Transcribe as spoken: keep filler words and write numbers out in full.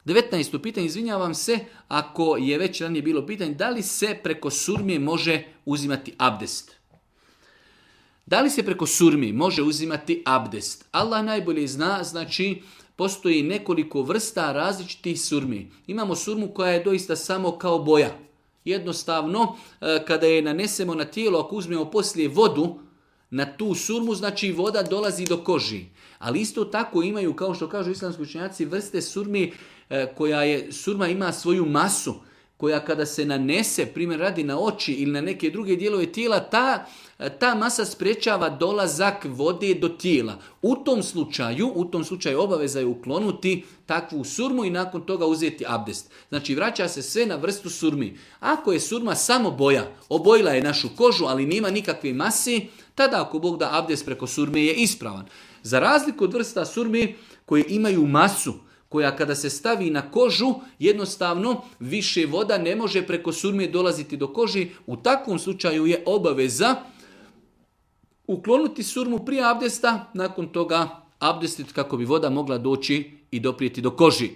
devetnaesto pitanje, izvinjavam se, ako je već ranije bilo pitanje, da li se preko surmije može uzimati abdest? Da li se preko surmi može uzimati abdest? Allah najbolje zna, znači postoji nekoliko vrsta različitih surmi. Imamo surmu koja je doista samo kao boja. Jednostavno, kada je nanesemo na tijelo, ako uzmemo poslije vodu na tu surmu, znači voda dolazi do koži. Ali isto tako imaju, kao što kažu islamski učenjaci, vrste surmi koja je, surma ima svoju masu, koja kada se nanese, primjer radi na oči ili na neke druge dijelove tijela, ta, ta masa sprečava dolazak vode do tijela. U tom slučaju, u tom slučaju obaveza je uklonuti takvu surmu i nakon toga uzeti abdest. Znači vraća se sve na vrstu surmi. Ako je surma samo boja, obojila je našu kožu, ali nema nikakve mase, tada ako Bog da abdest preko surme je ispravan. Za razliku od vrsta surmi koje imaju masu, koja kada se stavi na kožu, jednostavno više voda ne može preko surme dolaziti do koži. U takvom slučaju je obaveza uklonuti surmu prije abdesta, nakon toga abdestit kako bi voda mogla doći i doprijeti do koži.